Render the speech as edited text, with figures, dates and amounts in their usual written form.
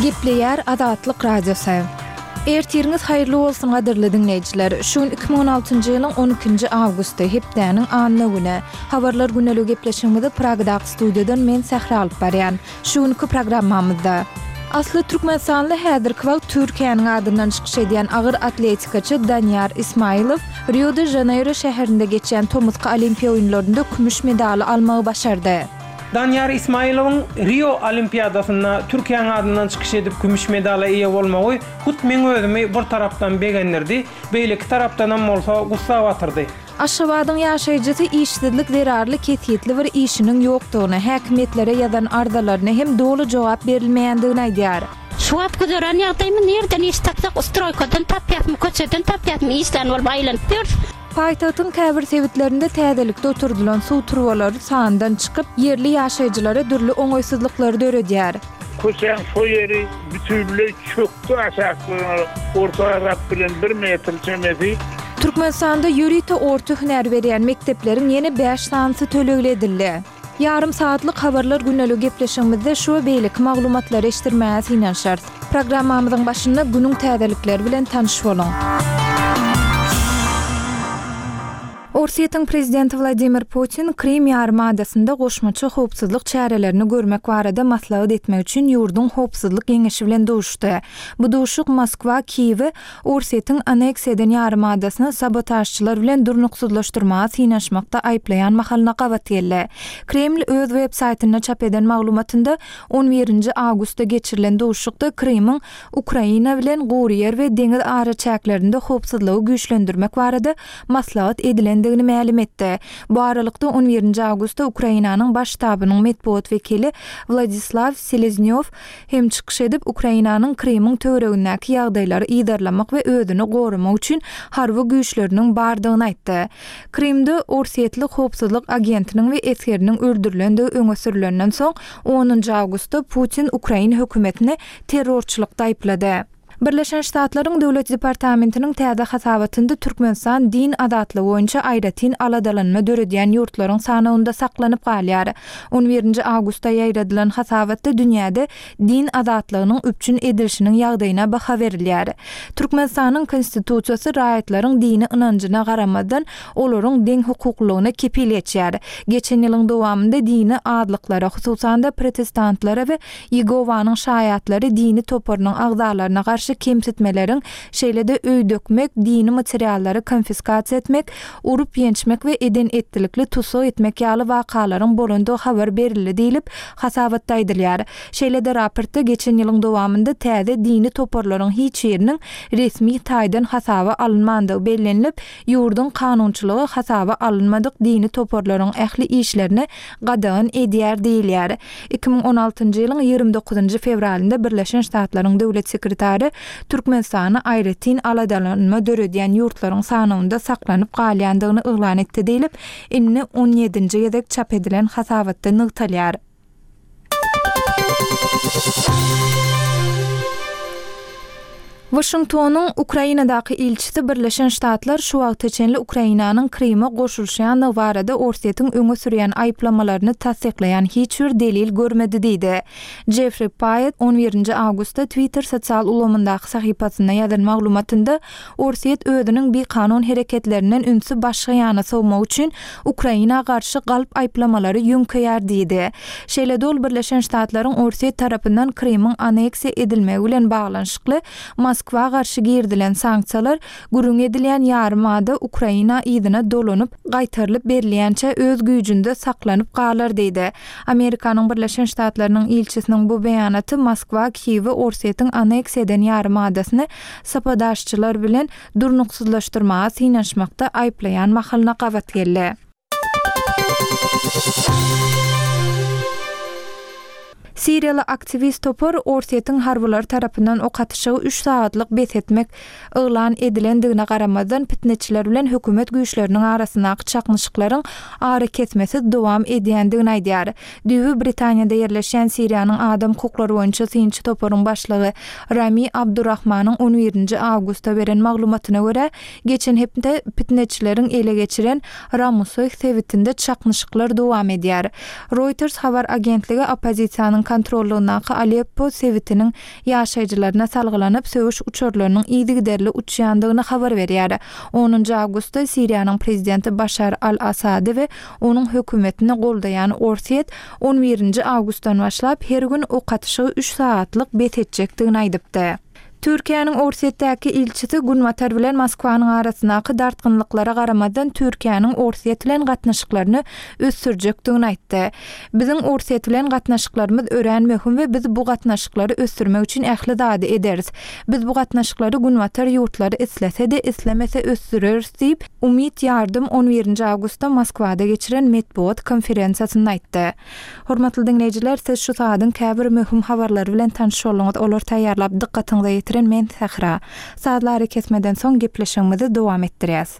Gepleýär Azatlyk Radiosy. Ertiriňiz haýyrly bolsun gadyrly diňleýjiler. Şu gün 2016-njy ýylyň 12-nji awgusty, hepdäniň anna güni. Habarlar güneligi gepleşigimizi Pragadaky studiýadan men Sähra alyp barýan. Şu günki programmamyzda. Asly türkmenistanly häzirki wagt Türkiýäniň adyndan çykyş edýän agyr atletikaçy Daniýar Ismaýylow Rio-de-Žaneýro şäherinde geçýän tomusky Olimpiýa oýunlarynda kümüş medaly almagy başardy. Daniýar Ismaýylowyň Rio Olimpiadasynda Türkiýäniň adyndan çykyş edip kümüş medala eýe bolmagy hut meň özümi bir tarapdan begendirdi, beýleki tarapdanam bolsa gussa batyrdy. Aşgabadyň ýaşaýjysy işsizlik zerarly kesgitli bir işiniň ýokdugyny, häkimiýetlere ýazan arzalaryna hem doly jogap berilmeýändigini aýdýar. Şu wagt güzeran ýagdaýymyz nirden iş tapsak stroýkadan tapýasmy, köçeden tapýasmy işlän bolup aýlanyp ýörüs. Paýtagtyň käbir sebitlerinde täzelikde oturdylan suw turbalary sandan çykyp, ýerli ýaşaýjylara dürli oňaýsyzlyklary döredýär. Köçäň şo ýeri bütinleý çökdi aşaklygyna orta hasap bilen bir metr çemesi. Türkmenistanda ýörite orta hünär berýän mekdepleriň ýene bäş sanysy tölegli edildi. Ýarym sagatlyk Habarlar gündeligi gepleşigimizde şu we beýleki maglumatlary eşitdirmäge synanyşarys. Programmamyzyň başynda günüň täzelikleri bilen tanyş boluň. Orsýetiň prezidenti Wladimir Putin Krym ýarymadasynda goşmaça howpsuzlyk çärelerini görmek barada maslahat etmek üçin ýurduň Howpsuzlyk geňeşi bilen duşuşdy. Bu duşuşyk Moskwa Kiýewi Orsýetiň anneksiýa eden ýarymadasyny sabotažçylar bilen durnuksyzlaşdyrmaga synanyşmakda aýyplaýan mahalyna gabat geldi. Kreml öz web saýtynda çap eden maglumatynda on birinji awgustda geçirilen duşuşykda Krymyň Ukraina bilen gury ýer we deňiz araçäklerinde howpsuzlygy güýçlendirmek barada maslahat edilendigini mälim etdi. Bu aralykda, on birinji awgustda Ukrainanyň Baş ştabynyň metbugat wekili Wladislaw Seleznýow hem çykyş edip, Ukrainanyň Krymyň töweregindäki ýagdaýlary yzarlamak we özüni goramak üçin harby güýçleriniň bardygyny aýtdy. Krymda orsýetli howpsuzlyk agentiniň we esgeriniň öldürilendigi öňe sürülenden soň, onunjy awgustda Putin ukrain hökümetini terrorçylykda aýyplady. Birleşen Ştatlaryň Döwlet departamentiniň täze hasabatynda Türkmenistan din azatlygy boýunça aýratyn aladalanma döredýän ýurtlaryň sanawynda saklanyp galýar. On birinji awgustda ýaýradylan hasabatda dünýäde din azatlygynyň üpjün edilişiniň ýagdaýyna baha berilýär. Türkmenistanyň Konstitusiýasy raýatlaryň dini ynanjyna garamazdan, olaryň deňhukuklylygyna kepil geçýär. Geçen ýylyň dowamynda dini azlyklara, hususan-da, protestantlara we Ýegowanyň Şaýatlary dini toparynyň agzalaryna garşy kemsitmeleriň, şeýle-de öý dökmek, dini materiallary konfiskasiýa etmek, urup-ýençmek we eden-etdilikli tussag etmek ýaly wakalaryň bolandygy habar berildi diýlip, hasabatda aýdylýar. Şeýle-de raportda geçen ýylyň dowamynda täze dini toparlaryň hiç biriniň resmi taýdan hasaba alynmandygy bellenilip, ýurduň kanunçylygy hasaba alynmadyk dini toparlaryň ähli işlerini gadagan edýär diýilýär. 2016-njy ýylyň 29-njy fewralynda Birleşen Ştatlaryň Döwlet sekretary Türkmenistany aýratyn aladalanma döredýän ýurtlaryň sanawynda saklanyp galýandygyny yglan etdi diýlip, indi on ýedinji gezek çap edilen hasabatda nygtalýar. Waşingtonyň Ukrainadaky ilçisi Birleşen Ştatlar şu wagta çenli Ukrainanyň Kryma goşulyşýandygy barada Orsýetiň öňe sürýän aýyplamalaryny tassyklaýan hiç bir delil görmedi diýdi. Jeffri Paýet on birinji awgustda Twitter sosial ulgamyndaky sahypasynda ýazan maglumatynda Orsýet özüniň bikanun hereketlerinden ünsi başga ýana sowmak üçin Ukraina garşy galp aýyplamalary ýöňkeýär diýdi. Şeýle-de ol Birleşen Ştatlaryň Orsýet tarapyndan Krymyň anneksiýa edilmegi bilen baglanyşykly Moskwa garşy girizilen sanksiýalar gürrüň edilýän ýarym ada Ukraina yzyna dolanyp gaýtarylyp berilýänçä öz güýjünde saklanyp galar diýdi. Amerikanyň Birleşen Ştatlarynyň ilçisiniň bu beýanaty Moskwa Kiýewi Orsýetiň anneksiýa eden ýarym adasyny sabotažçylar bilen durnuksyzlaşdyrmaga synanyşmakda aýyplaýan mahalyna gabat geldi. Siriýaly aktiwist topar Orsýetiň harbylary tarapyndan ok atyşygy üç sagatlyk bes etmek yglan edilendigine garamazdan, pitneçiler bilen hökümet güýçleriniň arasyndaky çaknyşyklaryň arakesmesiz dowam edýändigini aýdýar. Düýbi Britaniýada ýerleşýän Siriýanyň adam hukuklary boýunça synçy toparyň başlygy Rami Abdurrahmanyň on birinji awgustda beren maglumatyna görä, geçen hepde pitneçileriň ele geçiren Ramusoýh sebitinde çaknyşyklar dowam edýär. Reuters habar agentligi oppozisiýanyň. kontrollygyndaky Aleppo sebitiniň ýaşaýjylaryna salgylanyp, söweş uçarlarynyň yzygiderli uçýandygyny habar berýär. Onunjy awgustda Siriýanyň prezidenti Başar al-Assady we onuň hökümetini goldaýan Orsýet on birinji awgustdan başlap her gün ok atyşygy üç sagatlyk bes etjekdigini aýdypdy. Türkiýäniň Orsýetdäki ilçisi Günbatar bilen Moskwanyň arasyndaky dartgynlyklara garamazdan Türkiýäniň Orsýet bilen gatnaşyklaryny ösdürjekdigini aýtdy. Biziň Orsýet bilen gatnaşyklarymyz örän möhüm we biz bu gatnaşyklary ösdürmek üçin ähli zady ederis. Biz bu gatnaşyklary Günbatar ýurtlary islese-de, islemese ösdüreris diýip, Umyt Ýardym on birinji awgustda Moskwada geçiren metbugat konferensiýasynda aýtdy. Hormatly diňleýjiler, siz şu sagadyň käbir möhüm habarlary bilen tanyş bolduňyz. Olary taýýarlap dykgatyňyza ýetiren men Sähra. Sazly arakesmeden soň gepleşigimizi dowam etdirýäs.